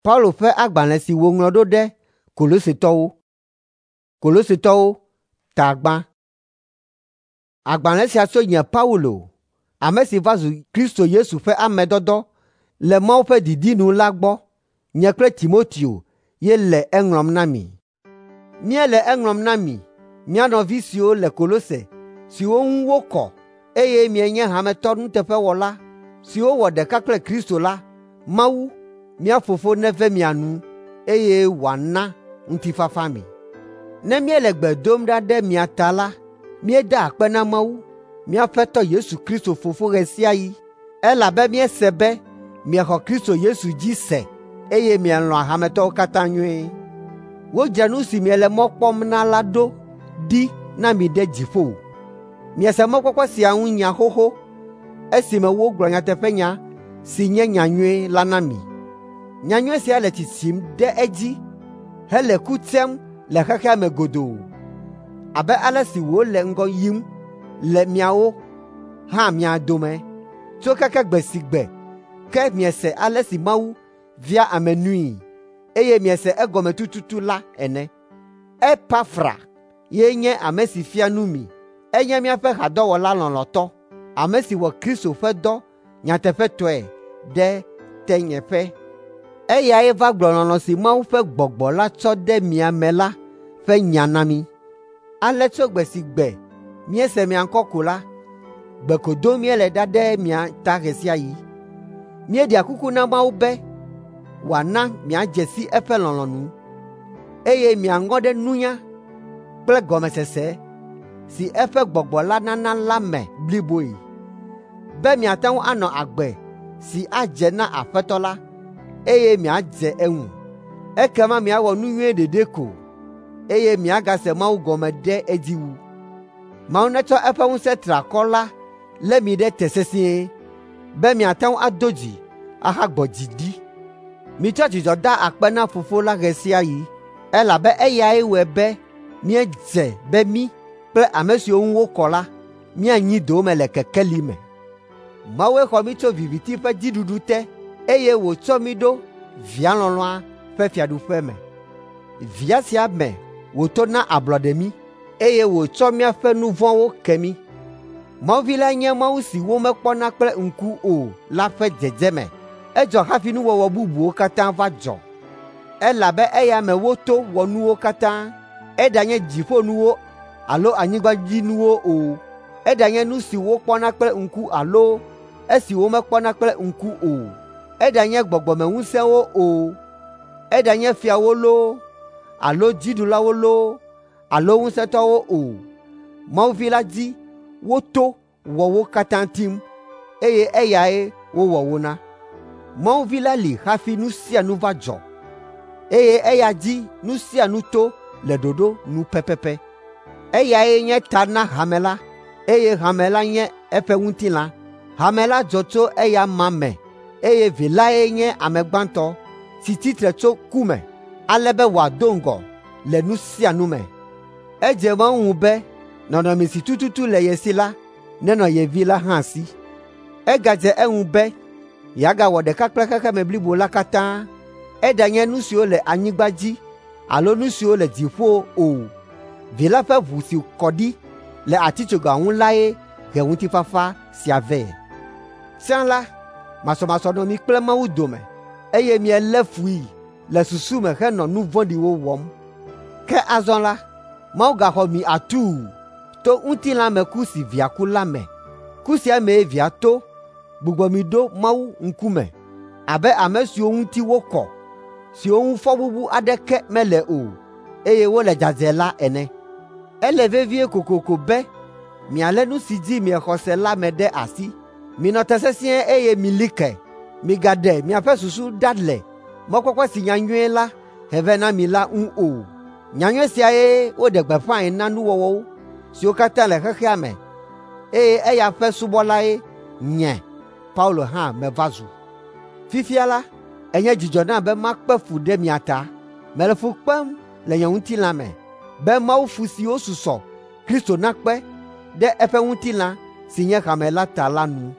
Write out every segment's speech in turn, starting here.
Paulo ƒe agbalẽ si wòŋlɔ ɖo ɖe Kolosetɔwo. Kolosetɔwo ta gbã. Agbalẽ sia tso nye Paulo, ame si va zu Kristo Yesu ƒe ame dɔdɔ le Mawu ƒe didi nu la gbɔ. Nye kple Timoteo ye le eŋlɔm na mi. Míele eŋlɔm na mi, mía nɔvi siwo le Kolose, siwo ŋu wokɔ, eye mienye hametɔ nuteƒewɔla siwo wɔ ɖeka kple Kristo la, Mawu, mía Fofo neve mia nu, eye wòana ŋutifafa mi. Ne míele gbe dom ɖa ɖe mia ta la, míedaa akpe na Mawu, mía Aƒetɔ Yesu Kristo Fofo ɣe sia ɣi, elabe míese be miexɔ Kristo Yesu dzi se eye mielɔ̃a hametɔwo katã nyuie. Wodzra nu si miele mɔ kpɔm na la ɖo ɖi na mi ɖe dziƒo. Miese mɔkpɔkpɔ sia ŋu nya xoxo esime wogblɔ nyateƒenya si nye nyanyui la na mi. Nyanyui sia le tsitsim ɖe edzi hele ku tsem le xexea me godoo abe ale si wòle ŋgɔ yim le miawo hã mia dome tso keke gbe si gbe ke miese ale si Mawu via ame nui, eye miese egɔme tututu la ene. Epafra ye nye ame si fia nu mi. Enye míaƒe hadɔwɔla lɔlɔ̃tɔ, ame si wɔ Kristo ƒe dɔ nyateƒetɔe ɖe tenyeƒe. Eyae va gblɔ lɔlɔ̃ si Mawu ƒe Gbɔgbɔ la tsɔ de mia me la ƒe nya na mí. Ale tso gbe si gbe míese mia ŋkɔ ko la, gbe ko dom míele ɖa ɖe mia ta ɣe sia ɣi. Míeɖea kuku na Mawu be wòana miadze si eƒe lɔlɔ̃nu, eye miaŋɔ ɖe nunya kple gɔmesese si eƒe Gbɔgbɔ la nana la me bliboe, be miate ŋu anɔ agbe si adze na Aƒetɔ la, eye miadze eŋu. Ekema miawɔ nu nyui ɖeɖe ko, eye miagase Mawu gɔme ɖe edzi wu. Mawu netsɔ eƒe ŋusẽ triakɔ la lé mi ɖe te sesĩe, be miate ŋu ado dzi ahagbɔ dzi ɖi. Mitsɔ dzidzɔ da akpe na Fofo la ɣe sia ɣi, elabe eyae wɔe be míedze be mí kple ame siwo ŋu wokɔ la míanyi dowòme le kekeli me. Mawue xɔ mí tso viviti ƒe dziɖuɖu te, eye wòtsɔ mí ɖo Via lɔlɔ̃a ƒe fiaɖuƒe me. Via sia me wòto na ablɔɖe mí, eye wòtsɔ míaƒe nu vɔ̃wo ke mí. Mawu Vi la nye Mawu si womekpɔna kple ŋku o la ƒe dzedzeme. Edzɔ hafi nuwɔwɔ bubuwo katã va dzɔ, elabe eya me woto wɔ nuwo katã, eɖanye dziƒonuwo alo anyigbadzinuwo o, eɖanye nu si wokpɔna kple ŋku alo esi womekpɔna kple ŋku o, eɖanye gbɔgbɔmeŋusẽwo o, eɖanye fiawo loo alo dziɖulawo loo alo ŋusẽtɔwo o. Mawu Vi la dzi woto wɔ wo katã tim, eye eyae wowɔ wo na. Mawu Vi la li hafi nu sia nu va dzɔ, eye eya dzi nu sia nu to le ɖoɖo nu pɛpɛpɛ. Eyae nye ta na hame la, eye hame la nye eƒe ŋutilã. Hame la dzɔ tso eya ma me, eye Vi lae nye ame gbãtɔ si tsitre tso ku me, ale be wòado ŋgɔ le nu sia nu me. Edze Mawu ŋu be nɔnɔme si tututu le ye si la nenɔ ye Vi la hã si. Egadze eŋu be yeagawɔ ɖeka kple xexeme blibo la katã, eɖanye nu siwo le anyigba dzi alo nu siwo le dziƒo o. Vi la ƒe ʋu si kɔ ɖi le atitsoga ŋu lae he ŋutifafa sia vɛ. Tsã la, masɔmasɔ nɔ mi kple Mawu dome, eye mielé fui le susu me henɔ nu vɔ̃ɖiwo wɔm. Ke azɔ la, Mawu gaxɔ mi atuu to ŋutilãmeku si Via ku la me. Ku sia mee Via to gbugbɔ mi ɖo Mawu ŋkume abe ame siwo ŋuti wokɔ, siwo ŋu fɔbubu aɖeke mele o, eye wole dzadzɛ la ene. Ele vevie kokoko be mialé nu si dzi miexɔ se la me ɖe asi. Minɔ te sesĩe eye mili ke. Migaɖe miaƒe susu ɖa le mɔkpɔkpɔ si nyanyui la he vɛ na mi la ŋu o. Nyanyui siae woɖe gbeƒãe na nuwɔwɔwo siwo katã le xexea me, eye eya ƒe subɔlae nye Paulo hã meva zu. Fifia la, enye dzidzɔ nam be makpe fu ɖe mia ta. Mele fu kpem le nye ŋutilã me be mawu fu siwo susɔ Kristo nakpe ɖe eƒe ŋutilã si nye hame la ta la nu.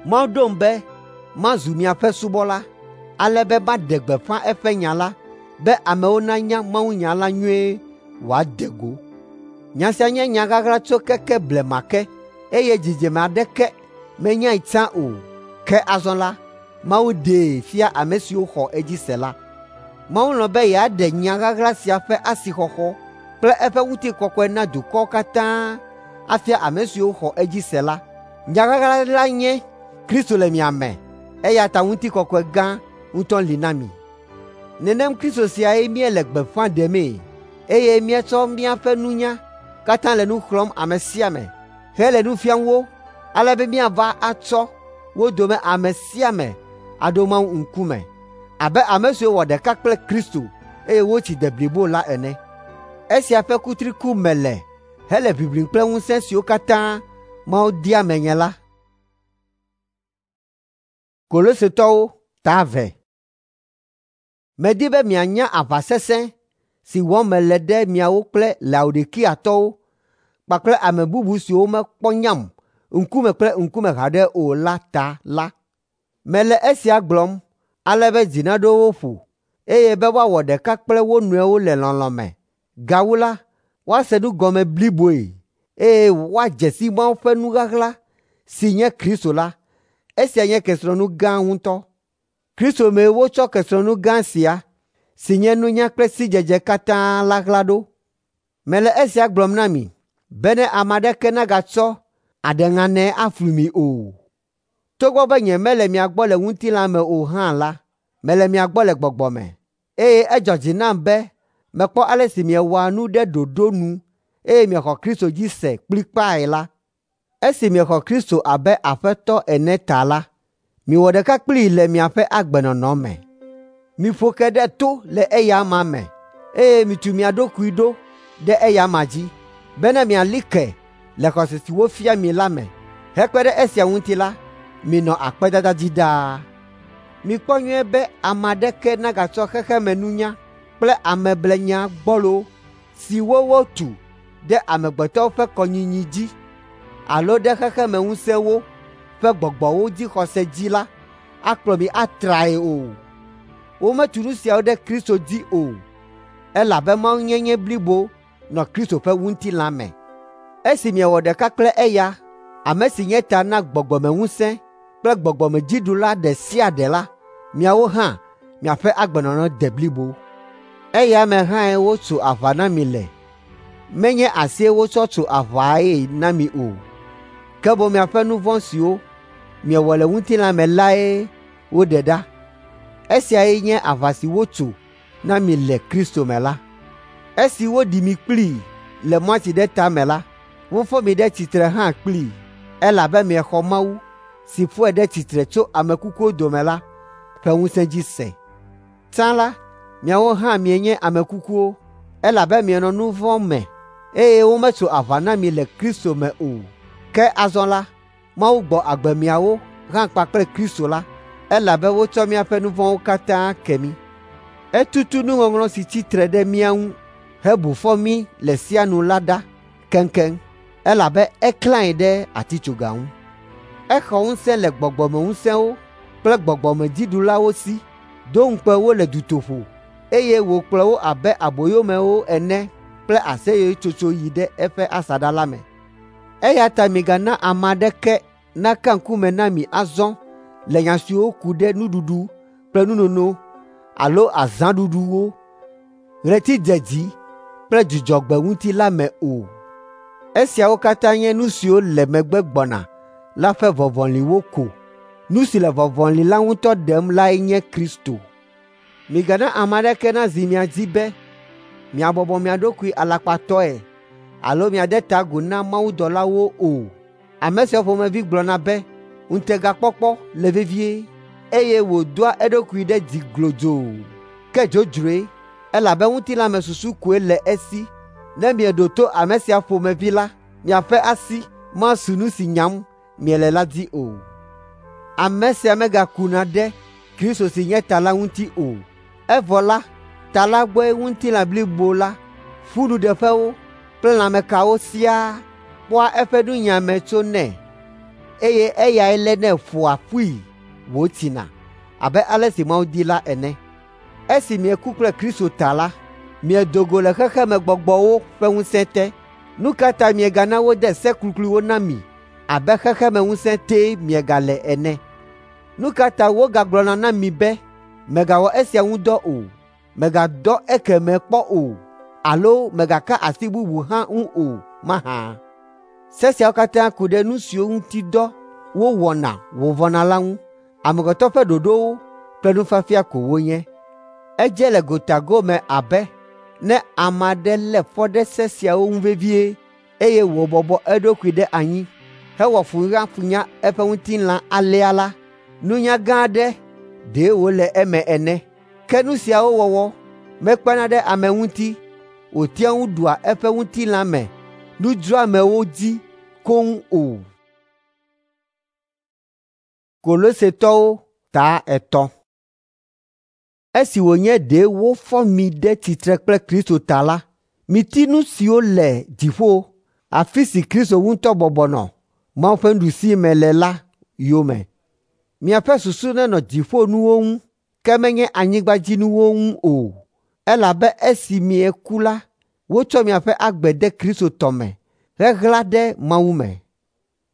Mawu ɖom be mazu miaƒe subɔla. ale be maɖe gbeƒã eƒe nya la be amewo nanya mawunya la nyuie wòade go. Nya sia nye nya ɣaɣla tso keke blema ke, eye dzidzime aɖeke menyae tsã o. Ke azɔ la, Mawu ɖee fia ame siwo xɔ edzi se la. Mawu lɔ̃ be yeaɖe nya ɣaɣla sia ƒe asixɔxɔ kple eƒe ŋutikɔkɔe na dukɔwo katã afia ame siwo xɔ edzi se la. Nya ɣaɣla la nye Kristo le mia me, eya ta ŋutikɔkɔe gã ŋutɔ li na mi. Nenem Kristo siae míele gbeƒã ɖemee, eye míetsɔ míaƒe nunya katã le nu xlɔ̃m ame sia ame hele nu fiam wo, ale be míava atsɔ wo dome ame sia ame aɖo Mawu ŋkume abe ame siwo wɔ ɖeka kple Kristo eye wotsi de blibo la ene. Esia ƒe kutri kum mele hele ʋiʋlim kple ŋusẽ siwo katã Mawu dea menye la. Kolosetɔwo ta 2. Medi be mianya aʋa sesẽ si wɔm mele ɖe miawo kple Laodikiatɔwo kpakple ame bubu siwo mekpɔ nyam ŋkume kple ŋkume haɖe o la ta la. Mele esia gblɔm ale be dzi naɖo wo ƒo, eye be woawɔ ɖeka kple wo nɔewo le lɔlɔ̃ me. Gawu la, woase nu gɔme bliboe, eye woadze si Mawu ƒe nu ɣaɣla si nye Kristo la. Esia nye kesinɔnu gã ŋutɔ. Kristo mee wotsɔ kesinɔnu gã sia, si nye nunya kple sidzedze katã la ɣla ɖo. Mele esia gblɔm na mi bene ame aɖeke nagatsɔ aɖeŋanɛ aflu mi o. Togbɔ be nyemele mia gbɔ le ŋutilã me o hã la, mele mia gbɔ le gbɔgbɔ me, eye edzɔ dzi nam be mekpɔ ale si miewɔa nu ɖe ɖoɖo nu eye miexɔ Kristo dzi se kplikpae la. Esi miexɔ Kristo abe Aƒetɔ ene ta la, miwɔ ɖeka kplii le miaƒe agbenɔnɔ me. Miƒo ke ɖe to le eya amea me, eye mitu mia ɖokui ɖo ɖe eya amea dzi, bene miali ke le xɔse si wofia mi la me. Hekpe ɖe esia ŋuti la, minɔ akpedada dzi ɖaa. Mikpɔ nyuie be ame aɖeke nagatsɔ xexemenunya kple ameblenya gbɔlo siwo wotu ɖe amegbetɔwo ƒe kɔnyinyi dzi alo ɖe xexemeŋusẽwo ƒe gbɔgbɔwo dzixɔse dzi la akplɔ mi atrae o. Wometu nu siawo ɖe Kristo dzi o, elabe mawunyenye blibo nɔ Kristo ƒe ŋutilã me. Esi miewɔ ɖeka kple eya, ame si nye ta na gbɔgbɔmeŋusẽ kple gbɔgbɔmedziɖula ɖe sia ɖe la, miawo hã miaƒe agbenɔnɔ de blibo. Eya me hãe wotso aʋa na mi le. Menye asie wotsɔ tso aʋae na mi o, ke boŋ miaƒe nu vɔ̃ siwo miewɔ le ŋutilã me lae woɖe ɖa. Esiae nye aʋa si wotso na mi le Kristo me la. Esi woɖi mi kplii le mɔti ɖe ta me la, wofɔ mi ɖe tsitre hã kplii, elabe miexɔ Mawu si fɔe ɖe tsitre tso ame kukuwo dome la ƒe ŋusẽ dzi se. Tsã la, miawo hã mienye ame kukuwo, elabe mienɔ nu vɔ̃ me, eye wometso aʋa na mi le Kristo me o. Ke azɔ la, Mawu gbɔ agbe miawo hã kpakple Kristo la, elabe wotsɔ míaƒe nu vɔ̃wo katã ke mí. Etutu nuŋɔŋlɔ si tsi tre ɖe mía ŋu hebu fɔ mí le sia nu la ɖa keŋkeŋ, elabe eklãe ɖe atitsoga ŋu. Exɔ ŋusẽ le gbɔgbɔmeŋusẽwo kple gbɔgbɔmedziɖulawo si, do ŋukpe wo le dutoƒo, eye wòkplɔ wo abe aboyomewo ene kple aseyetsotso yi ɖe eƒe asaɖa la me. Eya ta migana ame aɖeke naka ŋkume na mi azɔ le nya siwo ku ɖe nuɖuɖu kple nunono alo azãɖuɖuwo, ɣletidzedzi kple dzudzɔgbe ŋuti la me o. Esiawo katã nye nu siwo le megbe gbɔna la ƒe vɔvɔliwo ko. Nu si le vɔvɔli la ŋutɔ ɖem lae nye Kristo. Migana ame aɖeke nazi mia dzi be miabɔbɔ mia ɖokui alakpatɔe alo miade ta agu na mawudɔlawo o. Ame siawo ƒomevi gblɔna be ŋutegakpɔkpɔ le vevie, eye wòdoa eɖokui ɖe dzi glodzoo. Ke dzodzroe, elabe ŋutilãmesusu koe le esi. Ne mieɖo to ame sia ƒomevi la, miaƒe asi masu nu si nyam miele la dzi o. Ame sia megakuna ɖe Kristo si nye ta la ŋuti o. Evɔ la, ta la gbɔe ŋutilã blibo la, ƒunuɖeƒewo kple lãmekawo siaa kpɔa eƒe nunyiame tsonɛ, eye eyae lénɛ ƒoa ƒui wòtsina, abe ale si Mawu di la ene. Esi mieku kple Kristo ta la, miedo go le xexemegbɔgbɔwo ƒe ŋusẽ te. Nu ka ta miegana wode se klukluiwo na mi abe xexemeŋusẽ tee miegale ene? Nu ka ta wogagblɔna na mi be, “Mègawɔ esia ŋu dɔ o, mègadɔ ekemɛ kpɔ o alo mègaka asi bubu hã ŋu o mahã?” Se siawo katã ku ɖe nu siwo ŋuti dɔ wowɔna wòvɔna la ŋu. Amegbetɔ ƒe ɖoɖowo kple nufiafia ko wonye. Edze le gota gome abe ne ame aɖe lé fɔ ɖe se siawo ŋu vevie eye wòbɔbɔ eɖokui ɖe anyi hewɔ funyafunya eƒe ŋutilã alea la, nunya gã aɖe ɖe wòle eme ene. Ke nu siawo wɔwɔ mekpena ɖe ame ŋuti wòtea ŋu ɖua eƒe ŋutilã me nudzroamewo dzi koŋ o. Kolosetɔwo ta 3. Esi wònye ɖe wofɔ mi ɖe tsitre kple Kristo ta la, miti nu siwo le dziƒo, afi si Kristo ŋutɔ bɔbɔ nɔ Mawu ƒe nuɖusime le la yome. Miaƒe susu nenɔ dziƒonuwo ŋu, ke menye anyigbadzinuwo ŋu o, elabe esi mieku la, wotsɔ miaƒe agbe de Kristo tɔ me heɣla ɖe Mawu me.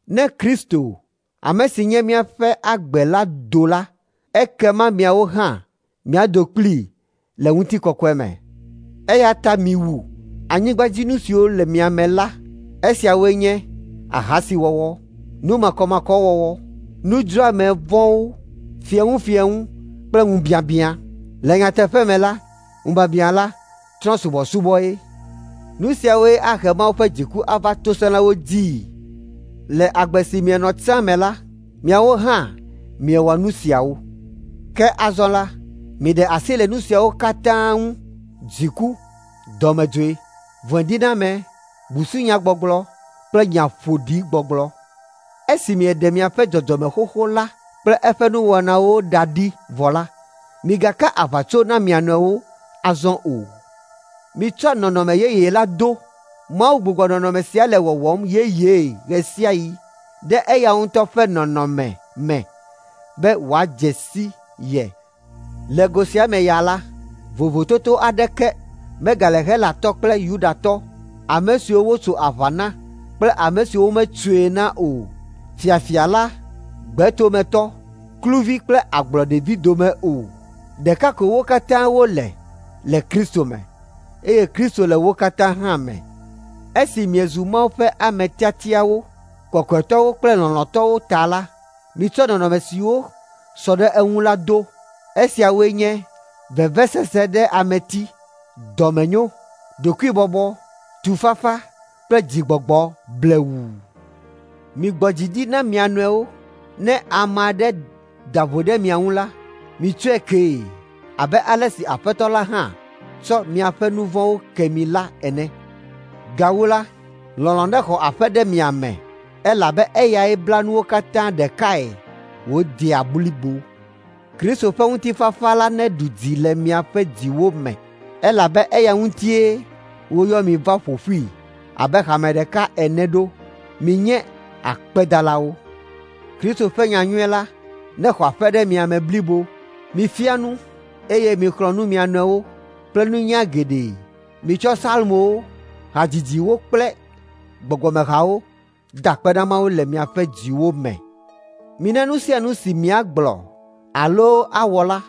Ne Kristo, ame si nye míaƒe agbe la do la, ekema miawo hã miado kplii le ŋutikɔkɔe me. Eya ta miwu anyigbadzinu siwo le mia me la. Esiawoe nye ahasiwɔwɔ, nu makɔmakɔwɔwɔ, nudzroame vɔ̃wo, fieŋufieŋu kple ŋubiabiã. Le nyateƒe me la, ŋubiabiã la, trɔ̃subɔsubɔe. Nu siawoe ahe Mawu ƒe dziku ava tosẽlawo dzii. Le agbe si mienɔ tsã me la, miawo hã miewɔ nu siawo. Ke azɔ la, miɖe asi le nu siawo katã ŋu: dziku, dɔmedzoe, vɔ̃ediname, busunyagbɔgblɔ kple nya ƒoɖi gbɔgblɔ. Esi mieɖe miaƒe dzɔdzɔme xoxo la kple eƒe nuwɔnawo ɖa ɖi vɔ la, migaka aʋatso na mia nɔewo azɔ o. Mitsɔ nɔnɔme yeye la do. Mawu gbugbɔ nɔnɔme sia le wɔwɔm yeyee ɣe sia ɣi ɖe eya ŋutɔ ƒe nɔnɔme me be wòadze si ye. Le go sia me ya la, vovototo aɖeke megale Helatɔ kple Yudatɔ, ame siwo wotso aʋa na kple ame siwo wometsoe na o, fiafia la, gbetometɔ, kluvi kple agblɔɖevi dome o. Ɖeka ko wo katã wole le Kristo me, eye Kristo le wo katã hã me. Esi miezu Mawu ƒe ame tiatiawo, kɔkɔetɔwo kple lɔlɔ̃tɔwo ta la, mitsɔ nɔnɔme siwo sɔ ɖe eŋu la do. Esiawoe nye vevesese ɖe ameti, dɔmenyo, ɖokuibɔbɔ, tufafa kple dzigbɔgbɔ blewu. Migbɔ dzi ɖi na mia nɔewo. Ne ame aɖe da vo ɖe mia ŋu la, mitsɔe kee abe ale si Aƒetɔ la hã tsɔ miaƒe nu vɔ̃wo ke mi la ene. Gawu la, lɔlɔ̃ nexɔ aƒe ɖe mia me elabe eyae bla nuwo katã ɖekae wòdea blibo. Kristo ƒe ŋutifafa la neɖu dzi le miaƒe dziwo me elabe eya ŋutie woyɔ mi va ƒo ƒui abe hame ɖeka ene ɖo. Minye akpedalawo. Kristo ƒe nyanyui la nexɔ aƒe ɖe mia me blibo. Mifia nu eye mixlɔ̃ nu mia nɔewo kple nunya geɖe. Mitsɔ psalmowo, hadzidziwo kple gbɔgbɔmehawo da akpe na Mawu le miaƒe dziwo me. Mina nu sia nu si miagblɔ alo awɔ la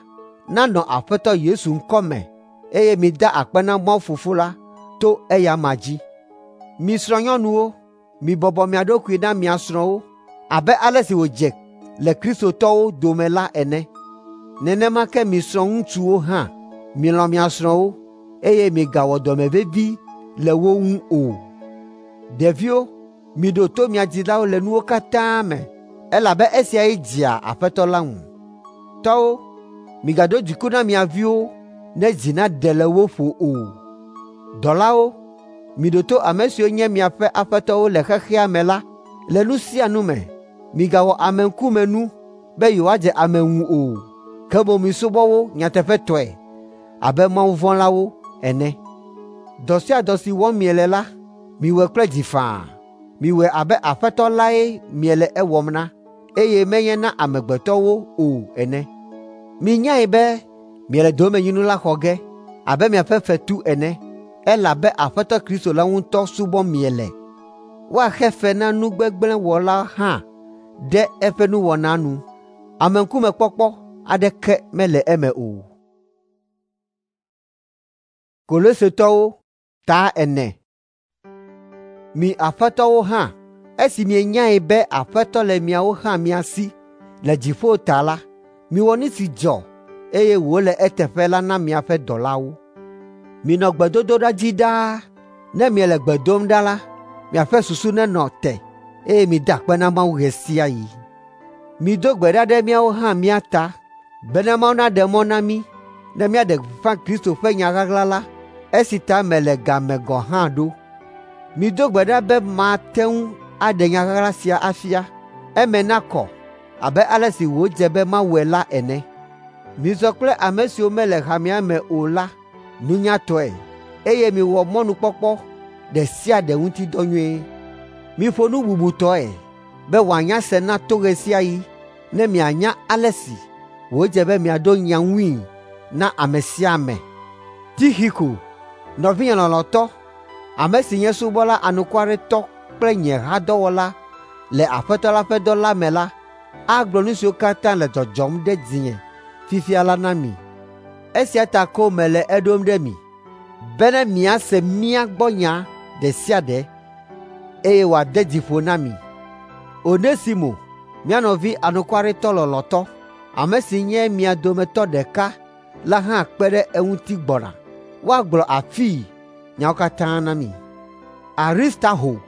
nanɔ Aƒetɔ Yesu ŋkɔ me eye mida akpe na Mawu Fofo la to eya amea dzi. Mi srɔ̃nyɔnuwo, mibɔbɔ mia ɖokui na mia srɔ̃wo abe ale si wòdze le kristotɔwo dome la ene. Nenema ke mi srɔ̃ŋutsuwo hã, milɔ̃ mia srɔ̃wo eye migawɔ dɔmevevi le wo ŋu o. Ɖeviwo, miɖo to mia dzilawo le nuwo katã me elabe esiae dzea Aƒetɔ la ŋu. Tɔwo, migado dziku na mia viwo ne dzi naɖe le wo ƒo o. Dɔlawo, miɖo to ame siwo nye miaƒe aƒetɔwo le xexea me la le nu sia nu me. Migawɔ ameŋkumenu be yewoadze ame ŋu o, ke boŋ misubɔ wo nyateƒetɔe abe mawuvɔ̃lawo ene. Dɔ sia dɔ si wɔm miele la, miwɔe kple dzi faa. Miwɔe abe Aƒetɔ lae miele ewɔm na, eye menye na amegbetɔwo o ene. Minyae be miele domenyinu la xɔ ge abe miaƒe fetu ene, elabe Aƒetɔ Kristo la ŋutɔ subɔm miele. Woaxe fe na nu gbegblẽ wɔla hã ɖe eƒe nuwɔna nu. Ameŋkumekpɔkpɔ aɖeke mele eme o. Kolosetɔwo ta 4. Mi aƒetɔwo hã, esi mienyae be Aƒetɔ le miawo hã mia si le dziƒo ta la, miwɔ nu si dzɔ eye wòle eteƒe la na miaƒe dɔlawo. Minɔ gbedodoɖa dzi ɖaa. Ne miele gbe dom ɖa la, miaƒe susu nenɔ te eye mida akpe na Mawu ɣe sia ɣi. Mido gbe ɖa ɖe míawo hã mía ta bena Mawu naɖe mɔ na mí ne míaɖe gbeƒã Kristo ƒe nya ɣaɣla la, esi ta mele ga me gɔ̃ hã ɖo. Mido gbe ɖa be mate ŋu aɖe nya ɣaɣla sia afia, eme nakɔ abe ale si wòdze be mawɔe la ene. Mizɔ kple ame siwo mele hamea me o la nunyatɔe, eye miwɔ mɔnukpɔkpɔ ɖe sia ɖe ŋuti dɔ nyuie. Miƒo nu bubutɔe be wòanya se na to ɣe sia ɣi ne mianya ale si wòdze be miaɖo nya ŋui na ame sia ame. Tixiko, nɔvinye lɔlɔ̃tɔ, ame si nye subɔla anukwaretɔ kple nye hadɔwɔla le Aƒetɔ la ƒe dɔ la me la, agblɔ nu siwo katã le dzɔdzɔm ɖe dzinye fifia la na mi. Esia ta ko mele eɖom ɖe mi, bene miase mía gbɔ nya ɖe sia ɖe, eye wòade dzi ƒo na mi. Onesimo, mía nɔvi anukwaretɔ lɔlɔ̃tɔ, ame si nye mia dometɔ ɖeka la hã kpe ɖe eŋuti gbɔna. Woagblɔ afii nyawo katã na mi. Aristarxo,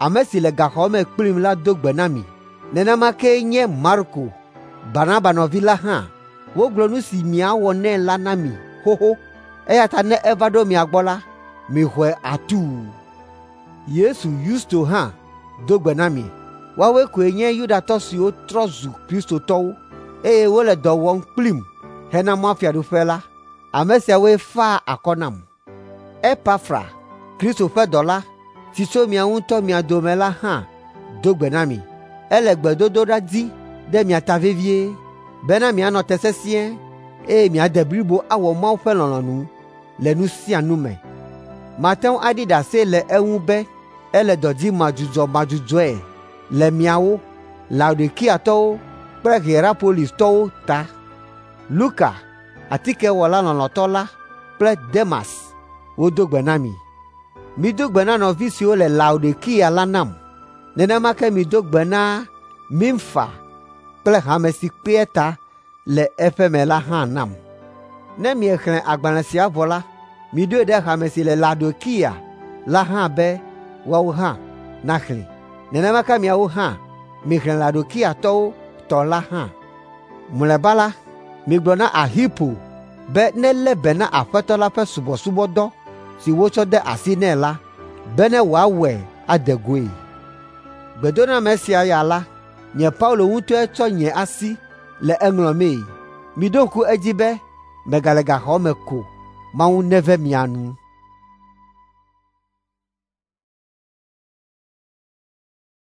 ame si le gaxɔ me kplim la do gbe na mi. Nenema kee nye Marko, Barnaba nɔvi la hã. Wogblɔ nu si miawɔ nɛ la na mi xoxo, eya ta ne eva ɖo mia gbɔ la, mixɔe atuu. Yesu Yusto hã do gbe na mi. Woawoe koe nye Yudatɔ siwo trɔ zu Kristotɔwo, eye wole dɔ wɔm kplim hena mɔfiaɖuƒe la. Ame siawoe faa akɔ nam. Epafra, Kristo ƒe dɔla, si tso mia ŋutɔ mia dome la hã do gbe na mi. Ele gbedodoɖa dzi ɖe mia ta vevie, bena mianɔ te sesĩe, eye miade blibo awɔ Mawu ƒe lɔlɔ̃nu le nu sia nu me. Mate ŋu aɖi ɖase le eŋu be ele dɔ dzi madzudzɔmadzudzɔe le miawo, Laodikiatɔwo kple Hierapolistɔwo ta. Luka, atikewɔla lɔlɔ̃tɔ la kple Demas wodo gbe na mi. Mido gbe na nɔvi siwo le Laodikia la nam. Nenema ke mido gbe na Nimfa kple hame si kpea ta le eƒe me la hã nam. Ne miexlẽ agbalẽ sia vɔ la, miɖoe ɖe hame si le Laodikia la hã be woawo hã naxlẽe. Nenema ke miawo hã mixlẽ Laodikiatɔwo tɔ la hã. Mlɔeba la, migblɔ na Arxipo be nelé be na Aƒetɔ la ƒe subɔsubɔdɔ si wotsɔ de asi nɛ la, bene wòawɔe ade goe. Gbedoname sia ya la, nye Paulo ŋutɔe tsɔ nye asi le eŋlɔmee. Miɖo ŋku edzi be megale gaxɔ me ko. Mawu neve mia nu.